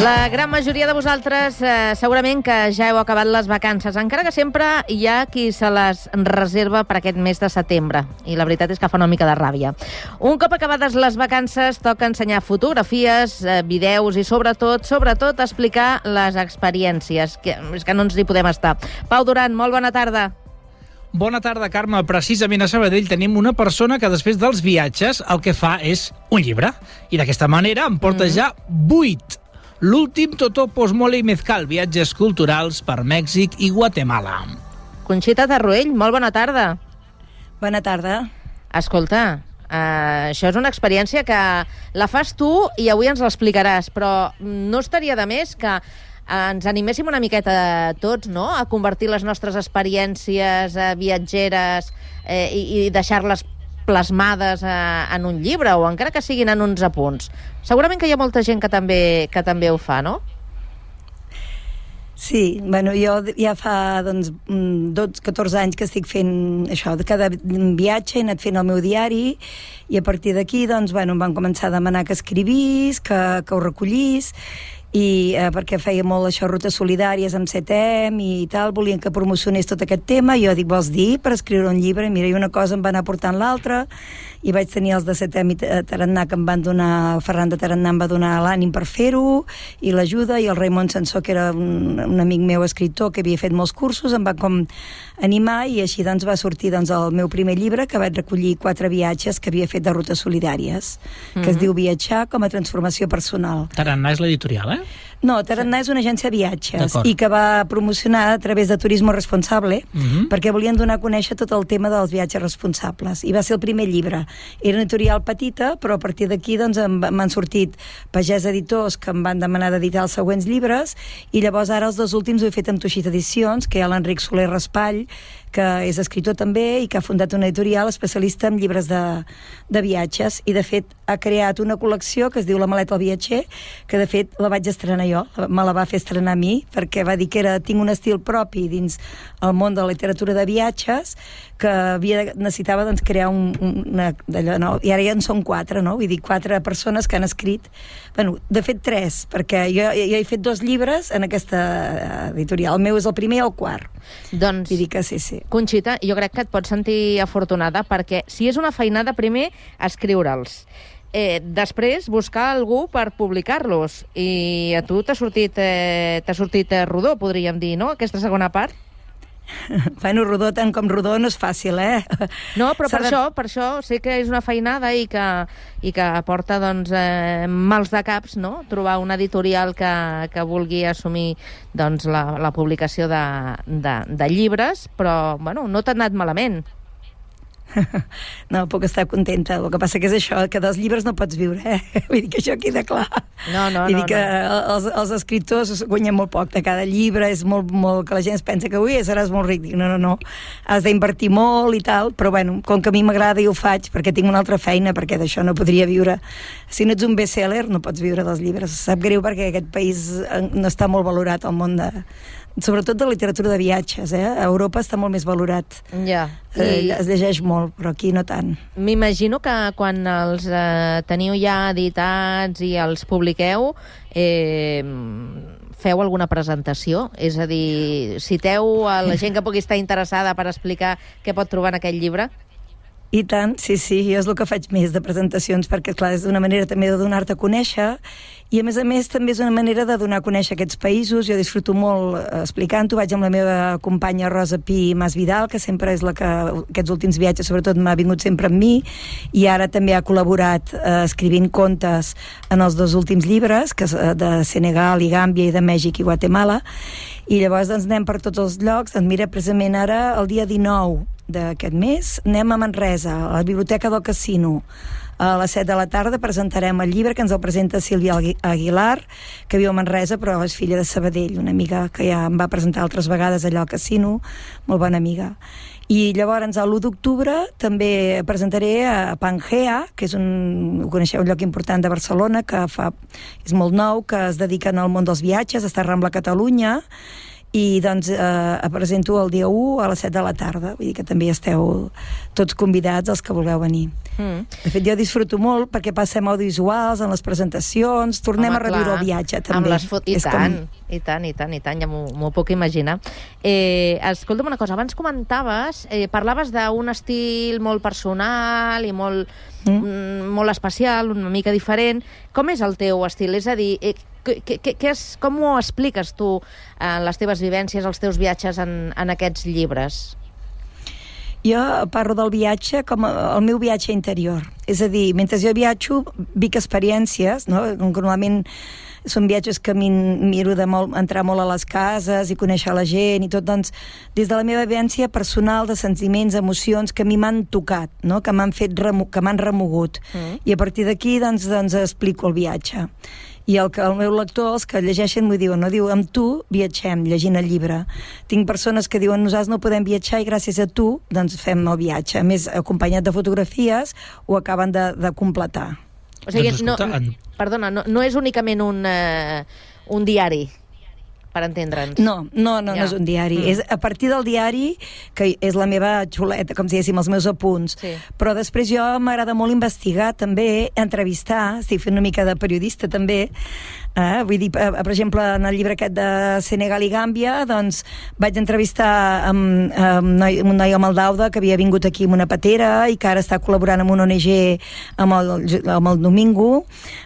La gran majoria de vosaltres segurament que ja heu acabat les vacances, encara que sempre hi ha qui se les reserva per aquest mes de setembre. I la veritat és que fa una mica de ràbia. Un cop acabades les vacances, toca ensenyar fotografies, vídeos i sobretot explicar les experiències, que és que no ens hi podem estar. Pau Duran, molt bona tarda. Bona tarda, Carme. Precisament a Sabadell tenim una persona que després dels viatges el que fa és un llibre. I d'aquesta manera en porta ja 8. L'últim Totó Posmole i Mezcal, viatges culturals per Mèxic i Guatemala. Conxita Tarruell, molt bona tarda. Bona tarda. Escolta, això és una experiència que la fas tu i avui ens l'explicaràs, però no estaria de més que ens animéssim una miqueta tots, no?, a convertir les nostres experiències viatgeres i deixar-les plasmades en un llibre o encara que siguin en uns apunts. Segurament que hi ha molta gent que també ho fa, no? Sí, bueno, jo ja fa 14 anys que estic fent això, de cada viatge he anat fent el meu diari i a partir d'aquí doncs, bueno, em van començar a demanar que escrivís, que ho recollís i perquè feia molt això, rutes solidàries amb CETEM i tal, volien que promocionés tot aquest tema, i jo dic, vols dir per escriure un llibre? Mira, i una cosa em va anar portant l'altra, i vaig tenir els de CETEM i Tarannà que em van donar, Ferran de Tarannà em va donar l'ànim per fer-ho, i l'ajuda, i el Raimon Sansó, que era un amic meu escriptor que havia fet molts cursos, em va com animar, i així doncs va sortir doncs, el meu primer llibre, que vaig recollir 4 viatges que havia fet de rutes solidàries, que es diu Viatjar com a transformació personal. Tarannà és l'editorial, No, Tarannà és una agència de viatges i que va promocionar a través de Turismo Responsable perquè volien donar a conèixer tot el tema dels viatges responsables, i va ser el primer llibre. Era una editorial petita, però a partir d'aquí doncs, m'han sortit Pagès Editors que em van demanar d'editar els següents llibres, i llavors ara els 2 últims ho he fet amb Tuixit Edicions, que hi ha l'Enric Soler Raspall, que és escriptor també i que ha fundat una editorial especialista en llibres de viatges, i de fet ha creat una col·lecció que es diu La maleta al viatger, que de fet la vaig estrenar jo, me la va fer estrenar a mi, perquè va dir que tinc un estil propi dins el món de la literatura de viatges, que necessitava doncs, crear d'allò, no? I ara ja en són 4, no? Vull dir, 4 persones que han escrit, bueno, de fet 3, perquè jo he fet 2 llibres en aquesta editorial, el meu és el primer i el quart. Doncs, vull dir que sí. Conxita, jo crec que et pots sentir afortunada, perquè si és una feinada, primer escriure'ls, després buscar algú per publicar-los, i a tu t'ha sortit rodó, podríem dir, no?, aquesta segona part. Bueno, rodó tant com rodó no és fàcil, No, però per això sé que és una feinada i que porta doncs, mals de caps, no?, trobar una editorial que vulgui assumir doncs, la publicació de llibres, però bueno, no t'ha anat malament. No, puc estar contenta. El que passa que és això, que dels llibres no pots viure, Vull dir que això queda clar. Vull dir que els escriptors guanyen molt poc de cada llibre, és molt, que la gent es pensa que seràs molt ric. Dic, no, has d'invertir molt i tal, però bueno, com que a mi m'agrada i ho faig, perquè tinc una altra feina, perquè d'això no podria viure. Si no ets un best-seller, no pots viure dels llibres. Sap greu perquè aquest país no està molt valorat al món sobretot de literatura de viatges, A Europa està molt més valorat. Ja. Es llegeix molt, però aquí no tant. M'imagino que quan els teniu ja editats i els publiqueu, feu alguna presentació? És a dir, citeu a la gent que pugui estar interessada per explicar què pot trobar en aquell llibre? I tant, sí, jo és el que faig més de presentacions, perquè clar, és una manera també de donar-te a conèixer, i a més també és una manera de donar a conèixer aquests països. Jo disfruto molt explicant-ho, vaig amb la meva companya Rosa Pi Masvidal, que sempre és la que aquests últims viatges sobretot m'ha vingut sempre amb mi, i ara també ha col·laborat escrivint contes en els 2 últims llibres, que de Senegal i Gàmbia i de Mèxic i Guatemala, i llavors doncs, anem per tots els llocs. Doncs mira, precisament ara, el dia 19 d'aquest mes, anem a Manresa, a la Biblioteca del Casino. A les 7 de la tarda presentarem el llibre, que ens el presenta Sílvia Aguilar, que viu a Manresa, però és filla de Sabadell, una amiga que ja em va presentar altres vegades allà al Casino, molt bona amiga. I llavors, l'1 d'octubre, també presentaré a Pangea, que és ho coneixeu, un lloc important de Barcelona, que és molt nou, que es dediquen al món dels viatges, està a Rambla Catalunya, i doncs presento el dia 1 a les 7 de la tarda, vull dir que també esteu tots convidats els que vulgueu venir. De fet, jo disfruto molt perquè passem audiovisuals en les presentacions, tornem a reviure el viatge també. I tant, ja m'ho puc imaginar. Escolta'm una cosa, abans comentaves, parlaves d'un estil molt personal i molt especial, una mica diferent. Com és el teu estil? És a dir, com ho expliques tu les teves vivències, els teus viatges en aquests llibres? Jo parlo del viatge com el meu viatge interior. És a dir, mentre jo viatjo, vic experiències, no? Normalment són viatges que miro entrar molt a les cases i conèixer la gent i tot, doncs, des de la meva vivència personal de sentiments, emocions que a mi m'han tocat, no? Que m'han remogut. I a partir d'aquí, doncs explico el viatge. I el meu lector, els que llegeixen, m'ho diuen, no? Diu, amb tu viatgem, llegint el llibre. Tinc persones que diuen, nosaltres no podem viatjar i gràcies a tu, doncs fem el viatge. A més, acompanyat de fotografies, ho acaben de completar. O sigui, no és únicament un diari, per entendre'ns. No és un diari. És a partir del diari, que és la meva xuleta, com si diguéssim, els meus apunts. Sí. Però després jo m'agrada molt investigar, també, entrevistar, estic fent una mica de periodista també, vull dir, per exemple, en el llibre aquest de Senegal i Gàmbia, doncs vaig entrevistar un noi a Maldauda que havia vingut aquí amb una patera i que ara està col·laborant amb una ONG amb el Domingo,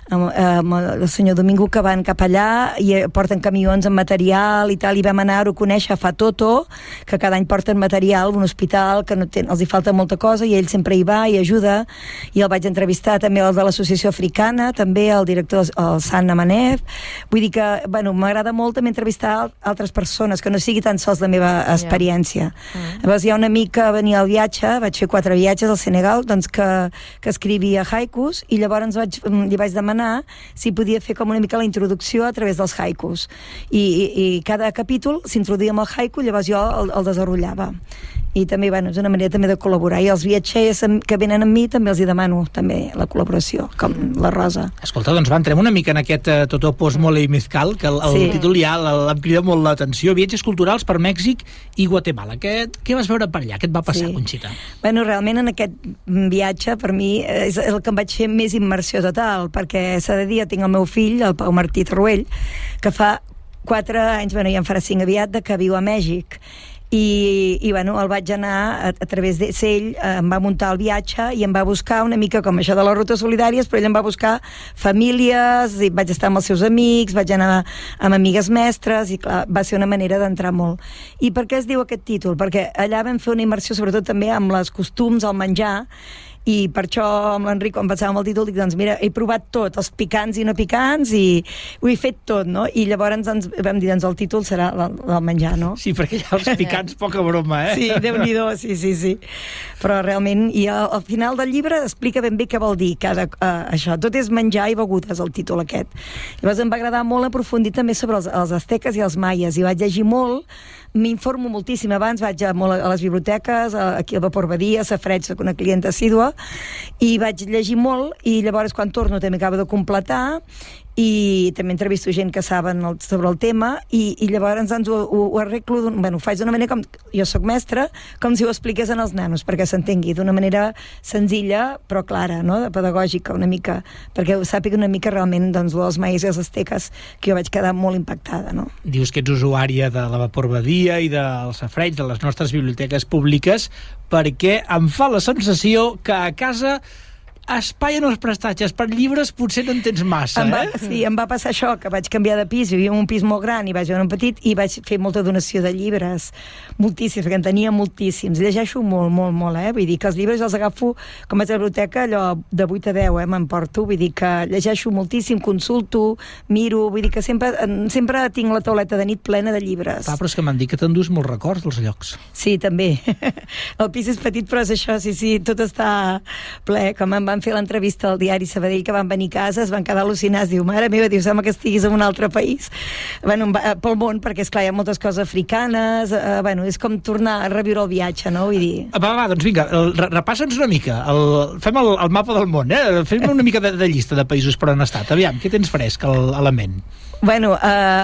amb el senyor Domingo, que van cap allà i porten camions amb material i tal, i vam anar-ho a conèixer a Fatoto, que cada any porten material a un hospital que els hi falta molta cosa i ell sempre hi va i ajuda, i el vaig entrevistar també el de l'Associació Africana, també el director, el Sant Amanef. Vull dir que, bueno, m'agrada molt també entrevistar altres persones, que no sigui tan sols la meva experiència. Llavors hi ha un amic que venia al viatge, vaig fer 4 viatges al Senegal, doncs que escrivia haikus, i llavors li vaig demanar si podia fer com una mica la introducció a través dels haikus. I cada capítol s'introduïa amb el haiku, llavors jo el desenrotllava. I també, bueno, és una manera també de col·laborar. I els viatgers que venen amb mi també els hi demano també la col·laboració, com la Rosa. Escolta, doncs entrem una mica en aquest Totó Mole i Mezcal, que el títol ja em crida molt l'atenció. Viatges culturals per Mèxic i Guatemala. Què vas veure per allà? Què et va passar, Conxita? Bueno, realment en aquest viatge per mi és el que em vaig fer més immersió total, perquè s'ha de dir, tinc el meu fill, el Pau Martí Torruell, que fa 4 anys, bueno, ja en farà 5 aviat, que viu a Mèxic. I bueno, el vaig anar a través d'ell, em va muntar el viatge i em va buscar una mica com això de les rutes solidàries, però ell em va buscar famílies, i vaig estar amb els seus amics, vaig anar amb amigues mestres, i clar, va ser una manera d'entrar molt. I per què es diu aquest títol? Perquè allà vam fer una immersió sobretot també amb els costums, el menjar, i per això amb l'Enric, quan pensàvem el títol, dic, doncs mira, he provat tot, els picants i no picants, i ho he fet tot, no? I llavors ens vam dir, doncs el títol serà el menjar, no? Sí, perquè ja els picants, poca broma, Sí, Déu-n'hi-do, sí. Però realment, i al final del llibre explica ben bé què vol dir això. Tot és menjar i begudes, el títol aquest. Llavors em va agradar molt aprofundir també sobre els asteques i els maies, i vaig llegir molt, m'informo moltíssim abans, vaig molt a les biblioteques, aquí al Vapor Badia, a Safareig, soc una clienta assídua, i vaig llegir molt, i llavors quan torno també acabo de completar, i també entrevisto gent que saben sobre el tema, i llavors doncs ho arreglo, ho faig d'una manera com, jo soc mestra, com si ho expliqués als nanos, perquè s'entengui d'una manera senzilla però clara, no? Pedagògica una mica, perquè ho sàpiga una mica realment, doncs, els maies i els asteques, que jo vaig quedar molt impactada, no? Dius que ets usuària de la Vapor Badia i del Safareig, de les nostres biblioteques públiques, perquè em fa la sensació que a casa espai en els prestatges per llibres potser no en tens massa, Sí, em va passar això, que vaig canviar de pis, vivia en un pis molt gran i vaig veure un petit, i vaig fer molta donació de llibres, moltíssims, perquè en tenia moltíssims. Llegeixo molt, vull dir que els llibres els agafo, com vaig a la biblioteca, allò de 8 a 10, m'emporto, vull dir que llegeixo moltíssim, consulto, miro, vull dir que sempre tinc la tauleta de nit plena de llibres. Però és que m'han dit que t'endús molts records dels llocs. Sí, també. El pis és petit, però és això, sí, tot està ple, com em van fer l'entrevista al diari Sabadell, que van venir a casa, es van quedar al·lucinats, diu, mare meva, diu, sembla que estiguis en un altre país, pel món, perquè esclar, hi ha moltes coses africanes, és com tornar a reviure el viatge, no? Vull dir... Doncs vinga, repassa'ns una mica, fem el mapa del món, fem una mica de llista de països per on has estat, aviam, què tens fresc a la ment? Bueno,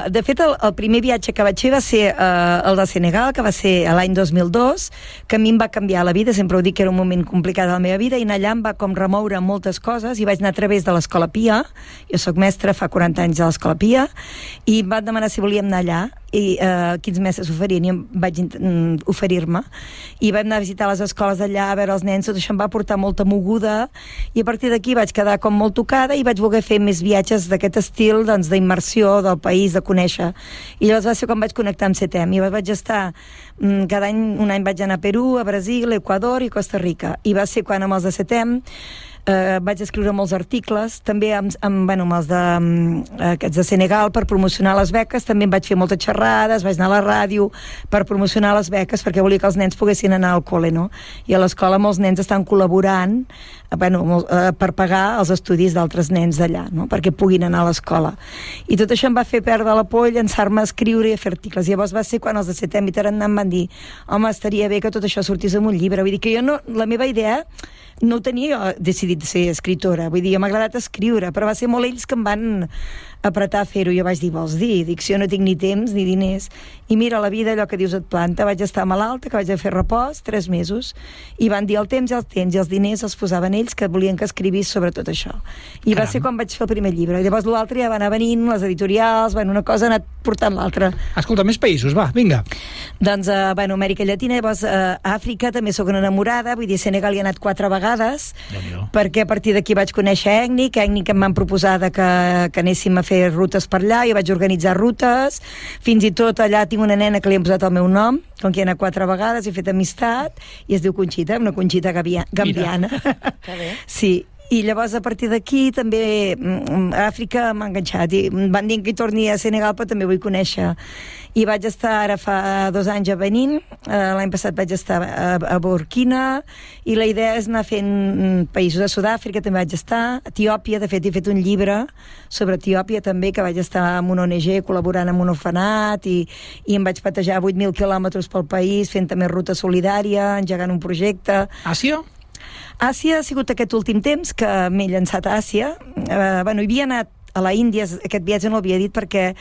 de fet, el primer viatge que vaig fer va ser el de Senegal, que va ser l'any 2002, que a mi em va canviar la vida, sempre ho dic que era un moment complicat de la meva vida, i anar allà em va com remoure moltes coses, i vaig anar a través de l'Escola Pia, jo sóc mestra, fa 40 anys a l'Escola Pia, i em van demanar si volíem anar allà, i quins mestres oferien, i em vaig oferir-me, i vam anar a visitar les escoles d'allà, a veure els nens, tot això em va portar molta moguda, i a partir d'aquí vaig quedar com molt tocada, i vaig voler fer més viatges d'aquest estil, doncs, d'immersió del país, de conèixer. I llavors va ser quan vaig connectar amb CETEM, i vaig estar cada any, un any vaig anar a Perú, a Brasil, a Equador i Costa Rica, i va ser quan amb els de CETEM vaig escriure molts articles, també amb els aquests de Senegal per promocionar les beques, també em vaig fer moltes xerrades, vaig anar a la ràdio per promocionar les beques, perquè volia que els nens poguessin anar al col·le, no? I a l'escola molts nens estan col·laborant per pagar els estudis d'altres nens d'allà, no? Perquè puguin anar a l'escola. I tot això em va fer perdre la por, llançar-me a escriure i a fer articles. I llavors va ser quan els de CETEM i Tarannà em van dir home, estaria bé que tot això sortís en un llibre. Vull dir que jo no, la meva idea no ho tenia decidit ser escriptora, vull dir, m'ha agradat escriure, però va ser molt ells que em van apretar a fer-ho. Jo vaig dir, vols dir? Dic, si jo no tinc ni temps ni diners. I mira, la vida, allò que dius et planta. Vaig estar malalta, que vaig a fer repòs, 3 mesos, i van dir el temps i els diners els posaven ells, que volien que escrivís sobre tot això. I va ser quan vaig fer el primer llibre. Llavors l'altre ja va anar venint, les editorials, una cosa ha anat portant l'altra. Escolta, més països, va, vinga. Doncs, Amèrica Llatina, llavors Àfrica, també sóc una enamorada, vull dir, Senegal hi he anat 4 vegades, perquè a partir d'aquí vaig conèixer Ècnic em van proposar que anéssim a fer rutes per allà, jo vaig organitzar rutes, fins i tot allà tinc una nena que li han posat el meu nom, com que hi he anat 4 vegades, he fet amistat, i es diu Conxita, una Conxita gambiana. Que bé. Sí, i llavors a partir d'aquí també a Àfrica m'ha enganxat i em van dir que hi torni a Senegal, però també vull conèixer, i vaig estar ara fa 2 anys a Benín, l'any passat vaig estar a Burkina, i la idea és anar fent països. A Sud-àfrica també vaig estar, a Etiòpia, de fet he fet un llibre sobre Etiòpia també, que vaig estar amb una ONG col·laborant amb un orfenat, i em vaig patejar 8.000 quilòmetres pel país fent també ruta solidària, engegant un projecte. Àsia? Àsia ha sigut aquest últim temps que m'he llançat a Àsia. Hi havia anat a la Índia, aquest viatge no l'havia dit perquè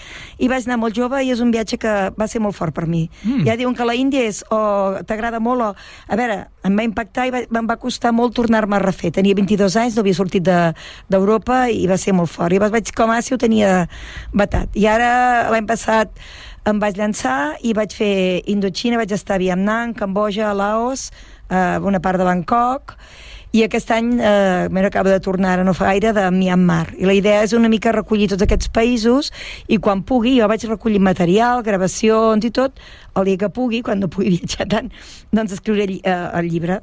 hi vaig anar molt jove i és un viatge que va ser molt fort per mi. Ja diuen que la Índia és o t'agrada molt o... A veure, em va impactar i em va costar molt tornar-me a refer. Tenia 22 anys, no havia sortit d'Europa i va ser molt fort. I vaig com a Àsia ho tenia batat. I ara, l'any passat, em vaig llançar i vaig fer Indoxina, vaig estar a Vietnam, Cambodja, Laos, una part de Bangkok, i aquest any m'acabo de tornar, ara no fa gaire, de Myanmar. I la idea és una mica recollir tots aquests països i quan pugui, jo vaig recollir material, gravacions i tot, el dia que pugui, quan no pugui viatjar tant, doncs escriuré el llibre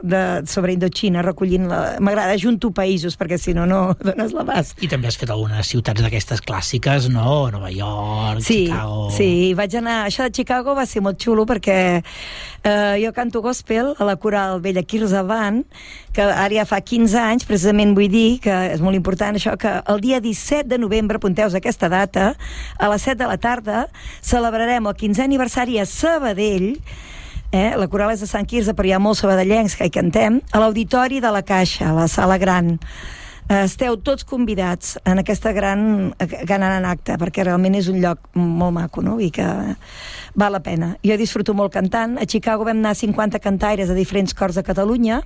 sobre Indoxina, recollint m'agrada junto països, perquè si no, no dones l'abast. I també has fet algunes ciutats d'aquestes clàssiques, no? Nova York, Chicago... Sí, vaig anar... Això de Chicago va ser molt xulo perquè jo canto gospel a la coral Bella Quirze Band, que ara ja fa 15 anys, precisament vull dir que és molt important això, que el dia 17 de novembre, apunteu-vos aquesta data, a les 7 de la tarda, celebrarem el 15è aniversari a Sabadell, la coral és de Sant Quirze, però hi ha molts sabadellencs que hi cantem, a l'Auditori de la Caixa, a la sala gran. Esteu tots convidats en aquesta gran acte, perquè realment és un lloc molt maco, no? I que val la pena. Jo disfruto molt cantant. A Chicago vam anar 50 cantaires de diferents cors de Catalunya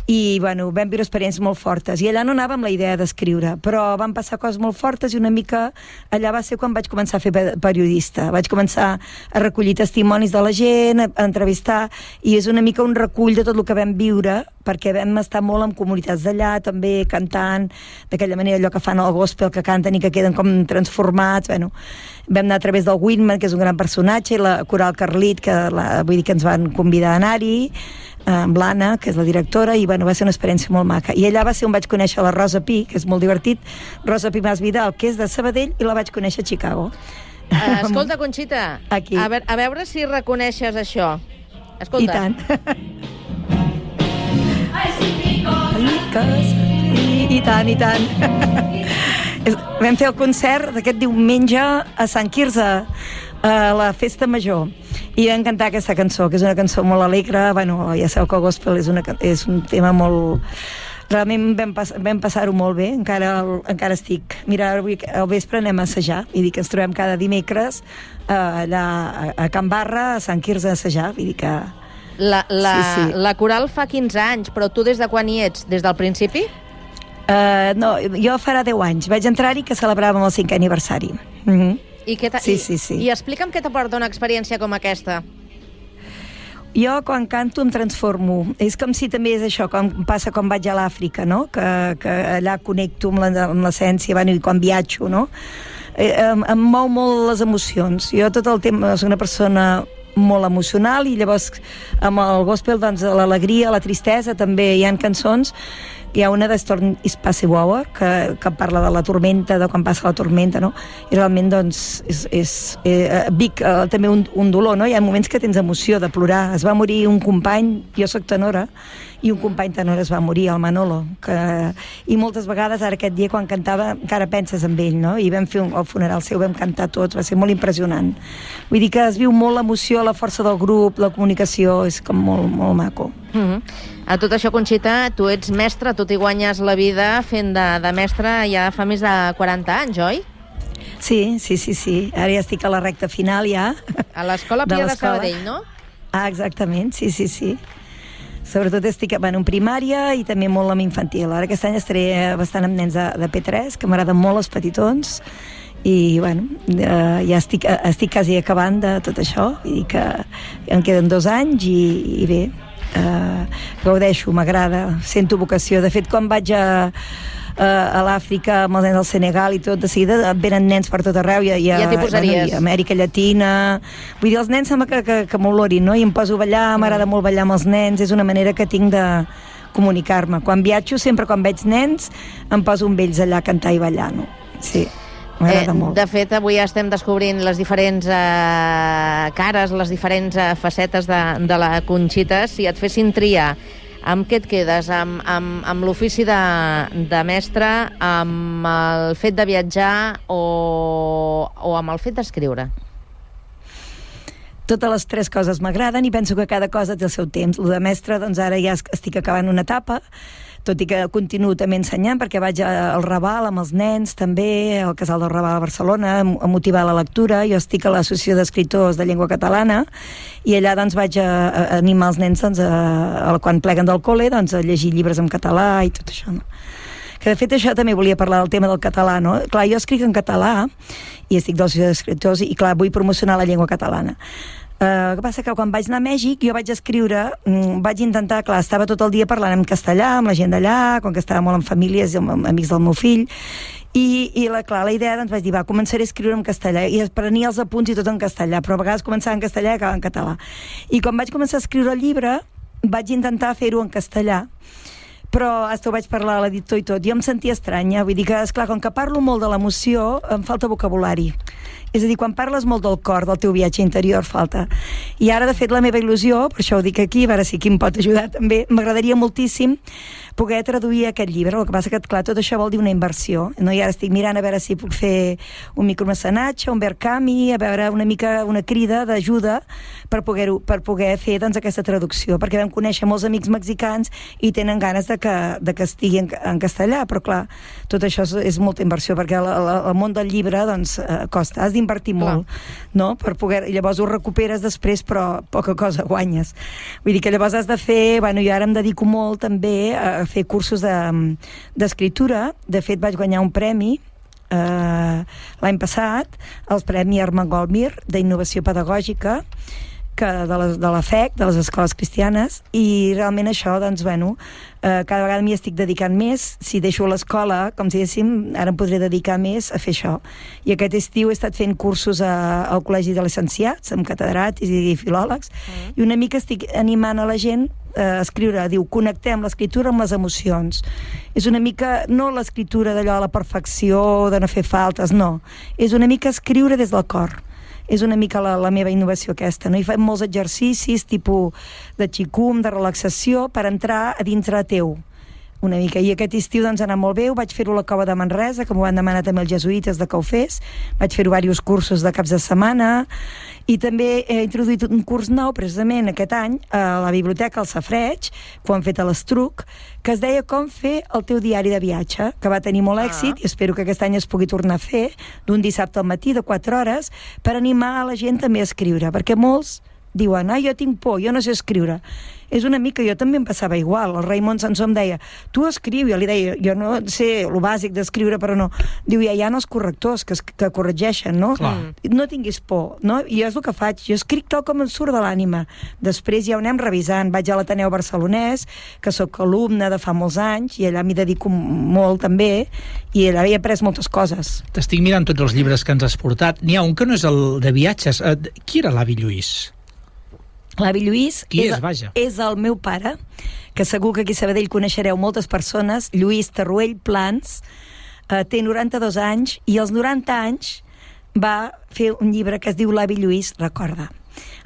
i vam viure experiències molt fortes. I allà no anava amb la idea d'escriure, però van passar coses molt fortes i una mica allà va ser quan vaig començar a fer periodista. Vaig començar a recollir testimonis de la gent, a entrevistar, i és una mica un recull de tot el que vam viure, perquè vam estar molt en comunitats d'allà, també cantant, d'aquella manera, allò que fan el gospel, que canten i que queden com transformats. Vam anar a través del Whitman, que és un gran personatge, i la coral Carlit, que vull dir que ens van convidar a anar-hi, amb l'Anna, que és la directora, i va ser una experiència molt maca. I allà va ser on vaig conèixer la Rosa Pi, que és molt divertit, Rosa Pi Mas Vidal, que és de Sabadell, i la vaig conèixer a Chicago. Escolta, Conxita, aquí. A veure si reconeixes això. Escolta. I tant. I tant, i tant. Vam fer el concert d'aquest diumenge a Sant Quirze, a la Festa Major, i vam cantar aquesta cançó, que és una cançó molt alegre. Ja sabeu que el gospel és un tema molt Realment vam passar-ho molt bé, encara estic. Mira, avui al vespre anem a assajar, vull dir que ens trobem cada dimecres allà a Can Barra, a Sant Quirze, a assajar, vull dir que... La coral fa 15 anys, però tu des de quan hi ets? Des del principi? No, jo farà 10 anys. Vaig entrar-hi que celebràvem el 5è aniversari. I explica'm què t'aporta una experiència com aquesta. Jo, quan canto, em transformo. És com si també és això, com passa quan vaig a l'Àfrica, no? Que allà connecto amb l'essència, i quan viatjo, no? Em mou molt les emocions. Jo tot el temps soc una persona molt emocional i llavors amb el gospel, doncs, l'alegria, la tristesa, també hi ha cançons. Hi ha una de Storm is Passive Hour que parla de la tormenta, de quan passa la tormenta, no? I realment, doncs, vic també un dolor, no? Hi ha moments que tens emoció de plorar. Es va morir un company, jo soc tenora, i un company tenor es va morir, el Manolo, i moltes vegades ara aquest dia quan cantava encara penses en ell, no? I vam fer el funeral seu, vam cantar tots, va ser molt impressionant. Vull dir que es viu molt l'emoció, la força del grup, la comunicació, és com molt, molt maco. A tot això, Conxita, tu ets mestra, tu t'hi guanyes la vida fent de mestra ja fa més de 40 anys, oi? Sí. Ara ja estic a la recta final, ja. A l'Escola Pia de Sabadell, no? Ah, exactament, sí. Sobretot estic en primària i també molt amb infantil. Ara aquest any estaré bastant amb nens de P3, que m'agraden molt els petitons, i bueno, ja estic quasi acabant de tot això, vull dir que em queden 2 anys i bé, gaudeixo, m'agrada, sento vocació. De fet, quan vaig a l'Àfrica amb els nens del Senegal i tot, de seguida venen nens per tot arreu, ja t'hi posaries. I Amèrica Llatina, vull dir, els nens sembla que m'olorin, no? I em poso a ballar, m'agrada molt ballar amb els nens, és una manera que tinc de comunicar-me. Quan viatjo, sempre quan veig nens em poso amb ells allà a cantar i ballar, no? Sí, m'agrada molt. De fet, avui estem descobrint les diferents cares, les diferents facetes de la Conxita. Si et fessin triar, amb què et quedes? Amb l'ofici de mestre, amb el fet de viatjar o amb el fet d'escriure? Totes les 3 coses m'agraden i penso que cada cosa té el seu temps. El de mestre, doncs ara ja estic acabant una etapa, tot i que continuo també ensenyant, perquè vaig al Raval amb els nens també, al Casal del Raval a Barcelona, a motivar la lectura. Jo estic a l'Associació d'Escriptors de Llengua Catalana i allà doncs vaig a animar els nens doncs, quan pleguen del col·le doncs, a llegir llibres en català i tot això, no? Que de fet això també volia parlar del tema del català, no? Clar, jo escric en català i estic de l'Associació d'Escriptors i clar, vull promocionar la llengua catalana. El que passa que quan vaig anar a Mèxic jo vaig escriure, vaig intentar, clar, estava tot el dia parlant en castellà amb la gent d'allà, com que estava molt en famílies i amb amics del meu fill, i la idea, doncs vaig dir, començaré a escriure en castellà, i prenia els apunts i tot en castellà, però a vegades començava en castellà i acabava en català. I quan vaig començar a escriure el llibre vaig intentar fer-ho en castellà, però ho vaig parlar a l'editor i tot, jo em sentia estranya, vull dir que, esclar, com que parlo molt de l'emoció, em falta vocabulari. És a dir, quan parles molt del cor, del teu viatge interior, falta. I ara, de fet, la meva il·lusió, per això ho dic aquí, a veure si qui em pot ajudar també, m'agradaria moltíssim poder traduir aquest llibre. El que passa que, clar, tot això vol dir una inversió, no? I ara estic mirant a veure si puc fer un micromecenatge, un Verkami, a veure una mica una crida d'ajuda per poder fer doncs, aquesta traducció, perquè vam conèixer molts amics mexicans i tenen ganes de que estigui en castellà, però clar, tot això és molta inversió, perquè el món del llibre doncs, costa, has d'invertir molt, no? Per poder, i llavors ho recuperes després, però poca cosa guanyes. Vull dir que llavors has de fer, bueno, jo ara em dedico molt també a fer cursos d'escriptura. De fet, vaig guanyar un premi l'any passat, el Premi Armengol Mir d'Innovació Pedagògica, de la FEC, de les escoles cristianes, i realment això, doncs, bueno, cada vegada m'hi estic dedicant més. Si deixo l'escola, com si diguéssim, ara em podré dedicar més a fer això. I aquest estiu he estat fent cursos al Col·legi de Licenciats, amb catedràtics i filòlegs, i una mica estic animant a la gent a escriure, diu, connectem l'escriptura amb les emocions. És una mica, no l'escriptura d'allò a la perfecció, de no fer faltes, no. És una mica escriure des del cor. És una mica la meva innovació aquesta, no? I fem molts exercicis tipus de xicum, de relaxació, per entrar a dintre teu, una mica. I aquest estiu doncs, ha anat molt bé, ho vaig fer-ho a la Cova de Manresa, que m'ho van demanar també els jesuïtes de que ho fes. Vaig fer-ho diversos cursos de caps de setmana, i també he introduït un curs nou, precisament aquest any, a la Biblioteca al Safareig, que ho han fet a l'Estruc, que es deia com fer el teu diari de viatge, que va tenir molt èxit, i espero que aquest any es pugui tornar a fer, d'un dissabte al matí de 4 hores, per animar a la gent també a escriure, perquè molts diuen, jo tinc por, jo no sé escriure. És una mica, jo també em passava igual. El Raimon Sansó em deia, tu escriu, jo li deia, jo no sé el bàsic d'escriure, però no. Diu, ja hi ha els correctors que corregeixen, no? Clar. No tinguis por, no? I jo és el que faig, jo escric tal com em surt de l'ànima. Després ja ho anem revisant. Vaig a l'Ateneu Barcelonès, que sóc alumne de fa molts anys, i allà m'hi dedico molt també, i allà he après moltes coses. T'estic mirant tots els llibres que ens has portat. N'hi ha un que no és el de viatges. Qui era l'avi Lluís? L'avi Lluís és el meu pare, que segur que aquí a Sabadell coneixereu moltes persones, Lluís Tarruell Plans, té 92 anys, i als 90 anys va fer un llibre que es diu L'avi Lluís recorda.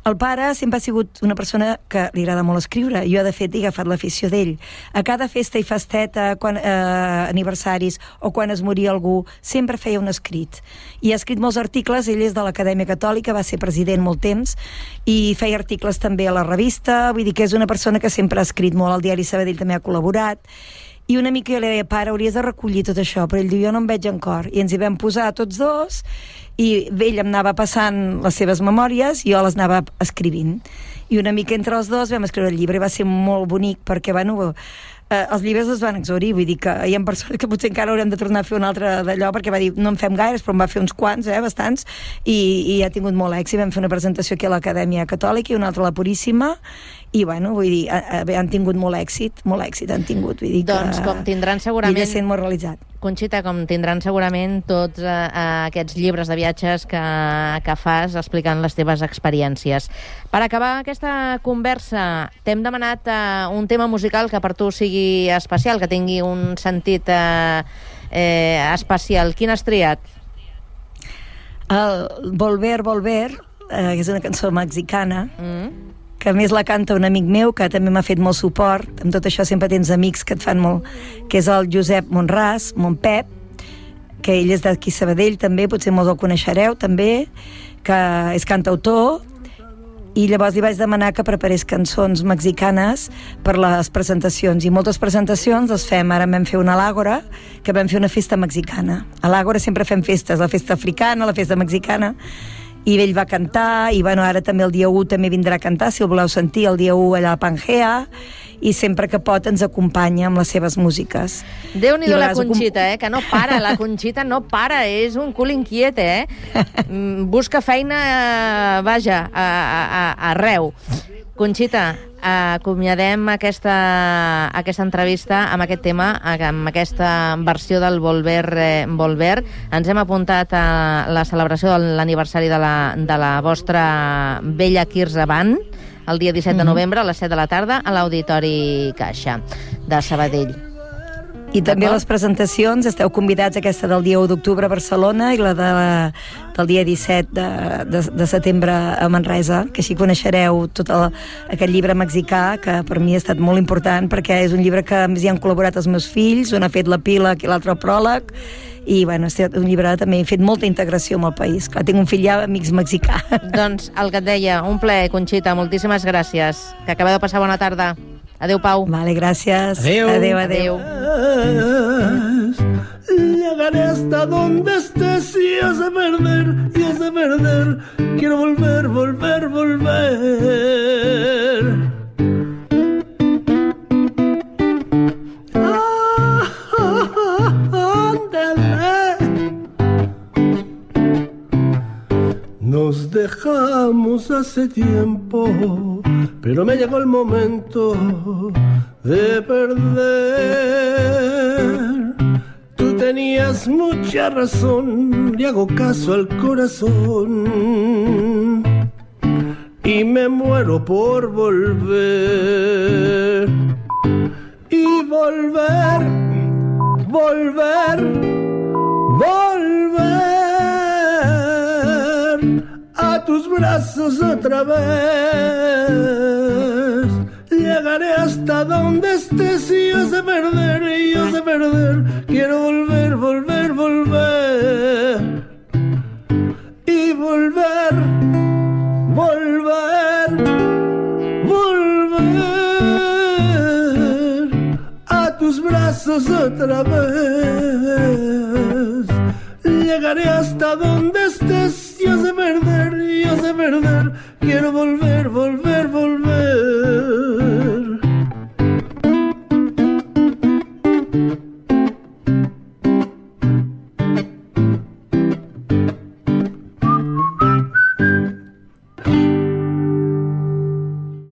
El pare sempre ha sigut una persona que li agrada molt escriure. Jo, de fet, he agafat l'afició d'ell. A cada festa i festeta, aniversaris o quan es moria algú, sempre feia un escrit. I ha escrit molts articles. Ell és de l'Acadèmia Catòlica, va ser president molt temps, i feia articles també a la revista. Vull dir que és una persona que sempre ha escrit molt. Al diari Sabadell també ha col·laborat. I una mica jo li deia, pare, hauries de recollir tot això, però ell diu, jo no em veig en cor. I ens hi vam posar tots dos, i ell em anava passant les seves memòries i jo les anava escrivint. I una mica entre els dos vam escriure el llibre, i va ser molt bonic, perquè, bueno, els llibres es van exhaurir, vull dir que hi ha persones que potser encara haurem de tornar a fer un altre d'allò, perquè va dir, no en fem gaires, però en va fer uns quants, bastants, i ha tingut molt èxit. Vam fer una presentació aquí a l'Acadèmia Catòlica i una altra a la Puríssima, i bueno, vull dir, han tingut molt èxit han tingut, vull dir que... Doncs com tindran segurament... Ell sent molt realitzat. Conxita, com tindran segurament tots aquests llibres de viatges que fas explicant les teves experiències. Per acabar aquesta conversa, t'hem demanat un tema musical que per tu sigui especial, que tingui un sentit especial. Quin has triat? El Volver, Volver, que és una cançó mexicana, que a més la canta un amic meu, que també m'ha fet molt suport. Amb tot això sempre tens amics que et fan molt, que és el Josep Monràs, mon Pep, que ell és d'aquí Sabadell també, potser molts el coneixereu també, que és cantautor, i llavors li vaig demanar que preparés cançons mexicanes per les presentacions, i moltes presentacions les fem. Ara vam fer una a l'Àgora, que vam fer una festa mexicana. A l'Àgora sempre fem festes, la festa africana, la festa mexicana, i ell va cantar, i bueno, ara també el dia 1 també vindrà a cantar, si el voleu sentir, el dia 1 allà a Pangea, i sempre que pot ens acompanya amb les seves músiques. Déu-n'hi-do la Conxita, que no para, la Conxita no para, és un cul inquiet, busca feina, vaja, arreu. Conxita, acomiadem aquesta entrevista amb aquest tema, amb aquesta versió del Volver, Volver. Ens hem apuntat a la celebració de l'aniversari de la vostra Bella Quirze Band, el dia 17 de novembre a les 7 de la tarda a l'Auditori Caixa de Sabadell. I també les presentacions, esteu convidats, aquesta del dia 1 d'octubre a Barcelona i la del dia 17 de setembre a Manresa, que així coneixereu tot aquest llibre mexicà, que per mi ha estat molt important, perquè és un llibre que hi han col·laborat els meus fills, un ha fet l'epíleg i l'altre el pròleg, i bueno, és un llibre també he fet molta integració amb el país. Clar, tinc un fill ja amics mexicà. Doncs el que et deia, un plaer, Conxita, moltíssimes gràcies. Que acabeu de passar bona tarda. Adéu, Pau. Vale, gràcies. Adéu. Adéu, adéu. Llegaré hasta donde estés y has de perder. Quiero volver, volver, volver. Nos dejamos hace tiempo, pero me llegó el momento de perder. Tú tenías mucha razón, le hago caso al corazón y me muero por volver. Y volver, volver, volver a tus brazos otra vez. Llegaré hasta donde estés y yo sé perder, quiero volver, volver, volver. Y volver, volver, volver a tus brazos otra vez. Llegaré hasta donde estés, yo sé perder, quiero volver, volver.